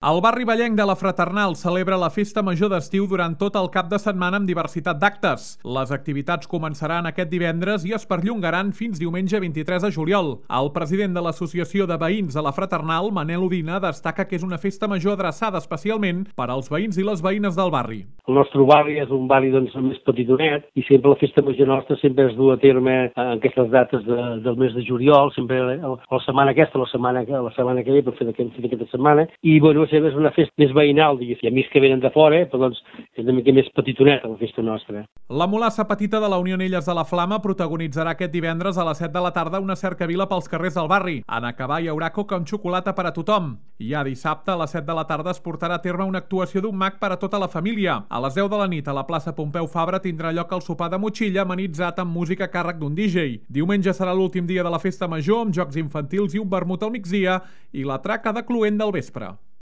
El barri vallenc de la Fraternal celebra la festa major d'estiu durant tot el cap de setmana amb diversitat d'actes. Les activitats començaran aquest divendres i es perllongaran fins diumenge 23 de juliol. El president de l'Associació de Veïns de la Fraternal, Manel Udina, destaca que és una festa major adreçada especialment per als veïns i les veïnes del barri. El nostre barri és un barri més petitonet i sempre la festa major nostra sempre es du a terme en aquestes dates del mes de juliol, sempre la setmana aquesta, la setmana que ve, per fer aquesta setmana, i bueno, és una festa més veïnal, diguéssim. I a mi que venen de fora, però doncs és una mica més petitoneta la festa nostra. La Mulassa Petita de la Unió Elles de la Flama protagonitzarà aquest divendres a les 7 de la tarda una cercavila pels carrers del barri. En acabar hi haurà coca amb xocolata per a tothom. I a dissabte a les 7 de la tarda es portarà a terme una actuació d'un mag per a tota la família. A les 10 de la nit a la plaça Pompeu Fabra tindrà lloc el sopar de motxilla amenitzat amb música a càrrec d'un DJ. Diumenge serà l'últim dia de la festa major amb jocs infantils i un vermut al migdia i la traca de cluent del vespre.